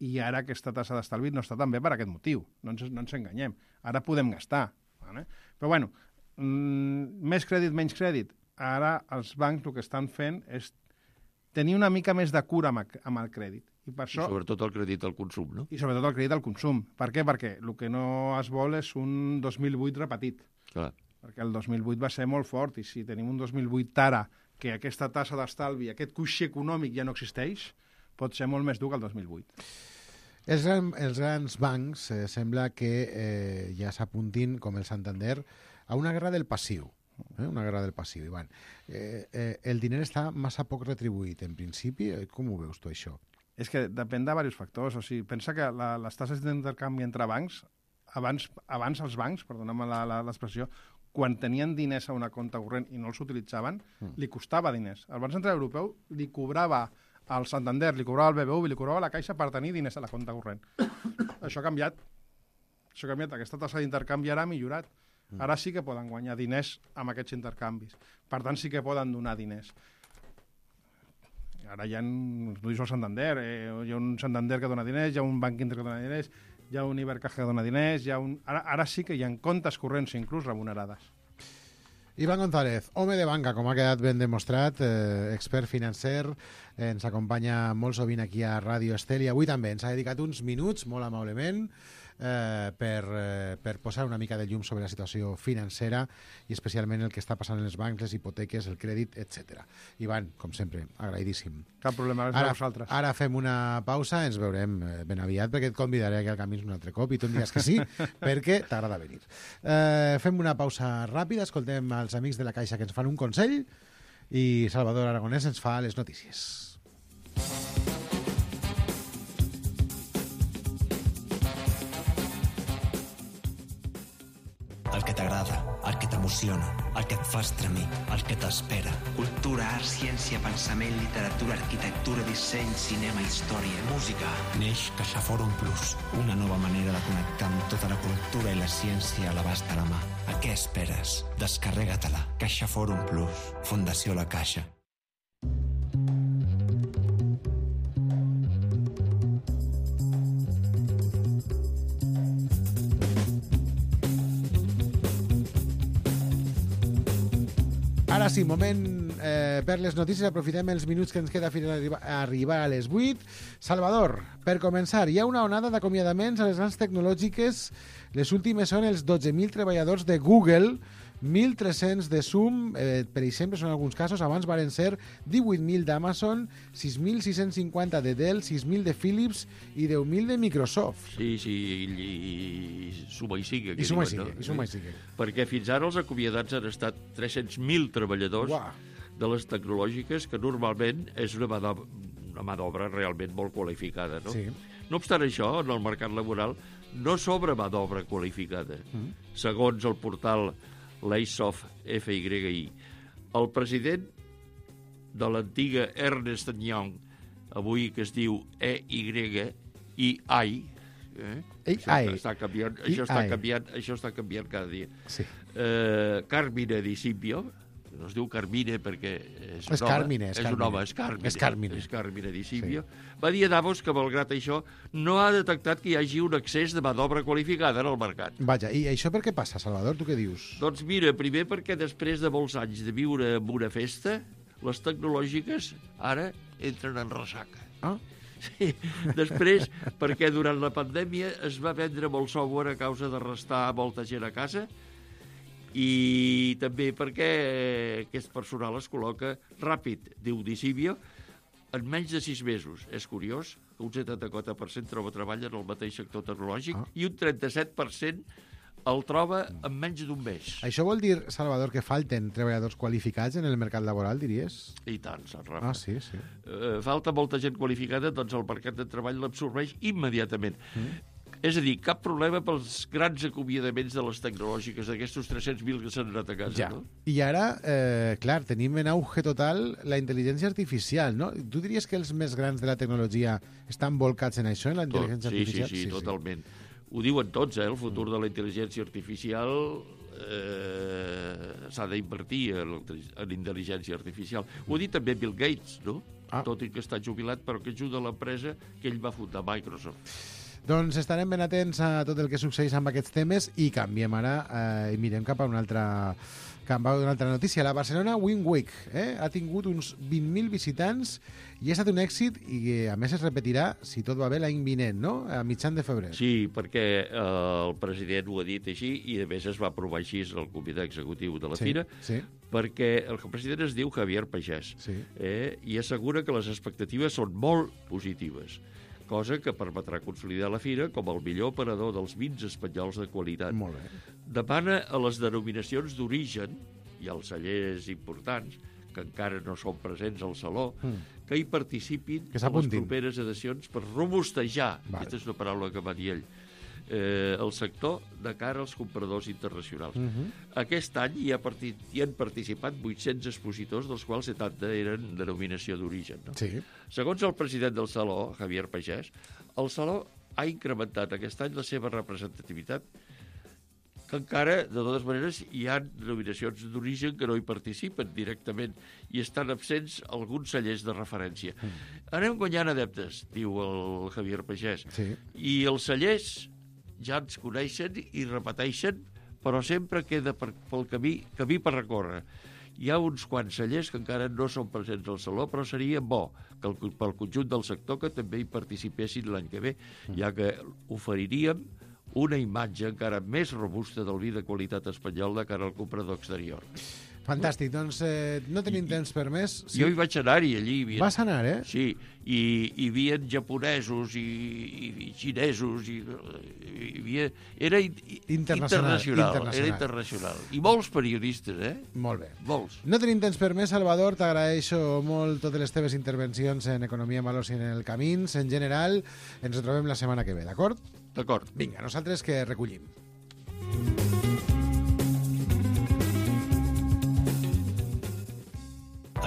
I ara aquesta tassa d'estalvi no està tan bé per aquest motiu. No ens, no ens enganyem. Ara podem gastar. Vale? Però, bueno, mm, més crèdit, menys crèdit. Ara els bancs el que estan fent és tenir una mica més de cura amb, amb el crèdit. I, per això, I sobretot el crèdit al consum, no? I sobretot el crèdit al consum. Per què? Perquè el que no es vol és un dos mil vuit repetit. Clar. Perquè el dos mil vuit va ser molt fort i si tenim un dos mil vuit ara que aquesta tassa d'estalvi, aquest coixí econòmic ja no existeix, pot ser molt més dur que el dos mil vuit. Els, gran, els grans bancs eh, sembla que eh, ja s'apuntin, com el Santander, a una guerra del passiu. Eh? Una guerra del passiu, Ivan. Eh, eh, el diner està massa poc retribuït, en principi. Com ho veus tu, això? És que depèn de diversos factors. O sigui, pensa que la, les tasses d'intercanvi entre bancs, abans, abans els bancs, perdona'm l'expressió, quan tenien diners a una compta corrent i no els utilitzaven, mm. li costava diners. El Banc Central Europeu li cobrava al Santander, li cobrava al B B V i li cobrava a la Caixa per tenir diners a la compta corrent. Això ha canviat. Això ha canviat. Aquesta tassa d'intercanvi ara ha millorat. Mm. Ara sí que poden guanyar diners amb aquests intercanvis. Per tant, sí que poden donar diners. Ara hi ha, no dius el Santander, eh, hi ha un Santander que dona diners, hi ha un Banc Inter que dona diners, hi ha un Ibercaja que dona diners, hi ha un... ara, ara sí que hi ha comptes corrents inclús remunerades. Iván González, home de banca, com ha quedat ben demostrat, eh, expert financer, eh, ens acompanya molt sovint aquí a Ràdio Estel i avui també ens ha dedicat uns minuts, molt amablement, eh, per, eh, per posar una mica de llum sobre la situació financera i especialment el que està passant en els bancs, les hipoteques, el crèdit, etcètera. Iván, com sempre, agraïdíssim. Cap problema, gràcies ara, a vosaltres. Ara fem una pausa, ens veurem ben aviat perquè et convidaré aquí al Camins un altre cop i tu em diràs que sí, perquè t'agrada venir. Eh, fem una pausa ràpida, escoltem els amics de la Caixa que ens fan un consell i Salvador Aragonès ens fa les notícies. El que t'agrada, el que t'emociona, el que et fa estremir, el que t'espera. Cultura, art, ciència, pensament, literatura, arquitectura, disseny, cinema, història, música. Neix CaixaForum Plus, una nova manera de connectar amb tota la cultura i la ciència a l'abast de la mà. A què esperes? Descarrega-te-la. CaixaForum Plus, Fundació La Caixa. Ara sí, moment eh, per les notícies. Aprofitem els minuts que ens queda fins a arribar, a arribar a les vuit. Salvador, per començar, hi ha una onada d'acomiadaments a les grans tecnològiques. Les últimes són els dotze mil treballadors de Google, mil tres-cents de Zoom, eh, per exemple, són alguns casos. Abans varen ser divuit mil d'Amazon, sis mil sis-cents cinquanta de Dell, sis mil de Philips i deu mil de Microsoft. Sí, sí, i, i, i suma i sigue. I suma i sigue, no? i suma i sigue. Perquè fins ara els acomiadats han estat tres-cents mil treballadors Uah. de les tecnològiques, que normalment és una mà d'obra, una mà d'obra realment molt qualificada, no? Sí. No obstant això, en el mercat laboral no sobra mà d'obra qualificada. Mm. Segons el portal Laysoft F Y I. El president de l'antiga Ernst and Young, avui que es diu E Y I I, eh? Això està canviant, això està canviant, això està canviant cada dia. Sí. Eh, Carmine Di Silvio, no es diu Carmine perquè és, és un Carmine, home, és, és un home, és Carmine, és Carmine, és Carmine Di Silvio, sí. Va dir a Davos que, malgrat això, no ha detectat que hi hagi un excés de mà d'obra qualificada en el mercat. Vaja, i això per què passa, Salvador? Tu què dius? Doncs mira, primer perquè després de molts anys de viure en una festa, les tecnològiques ara entren en ressaca. Ah? Sí. Després, perquè durant la pandèmia es va vendre molt software a causa de restar molta gent a casa, i també perquè aquest personal es col·loca ràpid, diu Di Silvio, en menys de sis mesos. És curiós que un setanta-quatre per cent troba treball en el mateix sector tecnològic ah. i un trenta-set per cent el troba en menys d'un mes. Això vol dir, Salvador, que falten treballadors qualificats en el mercat laboral, diries? I tant, Sant Rafa. Ah, sí, sí. Uh, falta molta gent qualificada, doncs el mercat de treball l'absorbeix immediatament. Mm. És a dir, cap problema pels grans acomiadaments de les tecnològiques, d'aquestos tres-cents mil que s'han anat a casa, ja. no? I ara, eh, clar, tenim en auge total la intel·ligència artificial, no? Tu diries que els més grans de la tecnologia estan volcats en això, en la intel·ligència Tot, sí, artificial? Sí, sí, sí, totalment. Sí. Ho diuen tots, eh? El futur de la intel·ligència artificial eh, s'ha d'invertir en, en intel·ligència artificial. Ho ha dit també Bill Gates, no? Ah. Tot i que està jubilat, però que ajuda l'empresa que ell va fundar, Microsoft. Doncs estarem ben atents a tot el que succeeix amb aquests temes i canviem ara eh, i mirem cap a una altra, cap a una altra notícia. La Barcelona Wing Week eh, ha tingut uns vint mil visitants i ha estat un èxit i a més es repetirà, si tot va bé, l'any vinent, no? A mitjan de febrer. Sí, perquè eh, el president ho ha dit així i a més es va aprovar així el comitè executiu de la sí, Fira, sí. perquè el president es diu Javier Pagès sí. eh, i assegura que les expectatives són molt positives, cosa que permetrà consolidar la Fira com el millor operador dels vins espanyols de qualitat. Molt bé. Demana a les denominacions d'origen i als cellers importants, que encara no són presents al Saló, mm. que hi participin que en les properes edicions per robustejar, vale. Aquesta és una paraula que va dir ell, eh, el sector de cara als compradors internacionals. Mm -hmm. Aquest any hi, ha partit, hi han participat vuit-cents expositors, dels quals setanta eren denominació d'origen. No? Sí. Segons el president del Saló, Javier Pagès, el Saló ha incrementat aquest any la seva representativitat que encara, de totes maneres, hi ha denominacions d'origen que no hi participen directament i estan absents alguns cellers de referència. Mm. Anem guanyant adeptes, diu el Javier Pagès. Sí. I els cellers ja ens coneixen i repeteixen, però sempre queda per, pel camí, camí per recórrer. Hi ha uns quants cellers que encara no són presents al Saló, però seria bo que el, pel conjunt del sector que també hi participessin l'any que ve, ja que oferiríem una imatge encara més robusta del vi de qualitat espanyol de cara al comprador exterior. Fantàstic, doncs eh, no tenim I, temps per més. Sí. Jo hi vaig anar-hi, allí. Havia... Vas anar, eh? Sí, i hi havia japonesos i, i, i xinesos, i, i hi havia... era internacional, internacional, internacional. Era internacional. I molts periodistes, eh? Molt bé. Molts. No tenim temps per més, Salvador, t'agraeixo molt totes les teves intervencions en Economia en Valors i en el Camins. En general, ens trobem la setmana que ve, d'acord? D'acord. Vinga, nosaltres que recollim.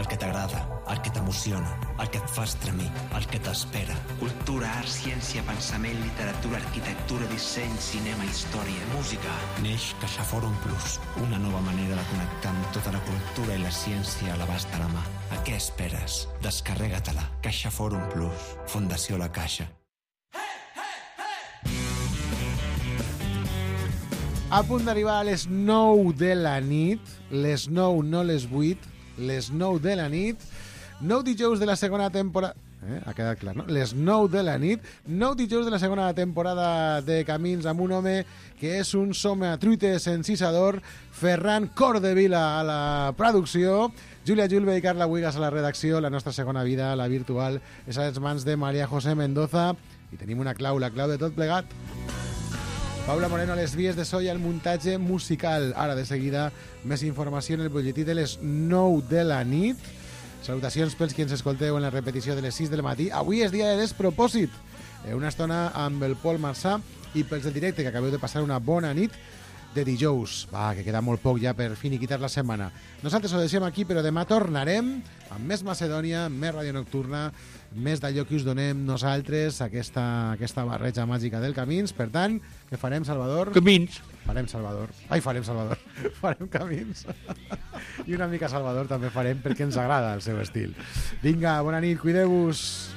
El que t'agrada, el que t'emociona, el que et fa estremir, el que t'espera. Cultura, art, ciència, pensament, literatura, arquitectura, disseny, cinema, història, música. Neix CaixaForum Plus, una nova manera de connectar amb tota la cultura i la ciència a l'abast de la mà. A què esperes? Descarrega-te-la. CaixaForum Plus, Fundació La Caixa. A punt d'arribar a les nou de la nit, les nou, no les vuit, les nou de la nit, nou dijous de la segona temporada... Eh, ha quedat clar, no? Les nou de la nit, nou dijous de la segona temporada de Camins amb un home que és un sometruites encisador, Ferran Cordevila a la producció, Júlia Julve i Carla Huigas a la redacció, la nostra segona vida, la virtual, és a les mans de Maria José Mendoza, i tenim una clau, la clau de tot plegat. Paula Moreno a les vies de so i al muntatge musical. Ara, de seguida, més informació en el butlletí de les nou de la nit. Salutacions pels qui ens escolteu en la repetició de les sis del matí. Avui és dia de despropòsit. Una estona amb el Pol Marçà i pels del directe, que acabeu de passar una bona nit de dijous. Va, que queda molt poc ja per finiquitar la setmana. Nosaltres ho deixem aquí, però demà tornarem amb més Macedònia, més Ràdio Nocturna, més d'allò que us donem nosaltres, aquesta, aquesta barreja màgica del Camins. Per tant, què farem, Salvador? Camins. Farem Salvador. Ai, farem Salvador. Farem Camins. I una mica Salvador també farem perquè ens agrada el seu estil. Vinga, bona nit, cuideu-vos.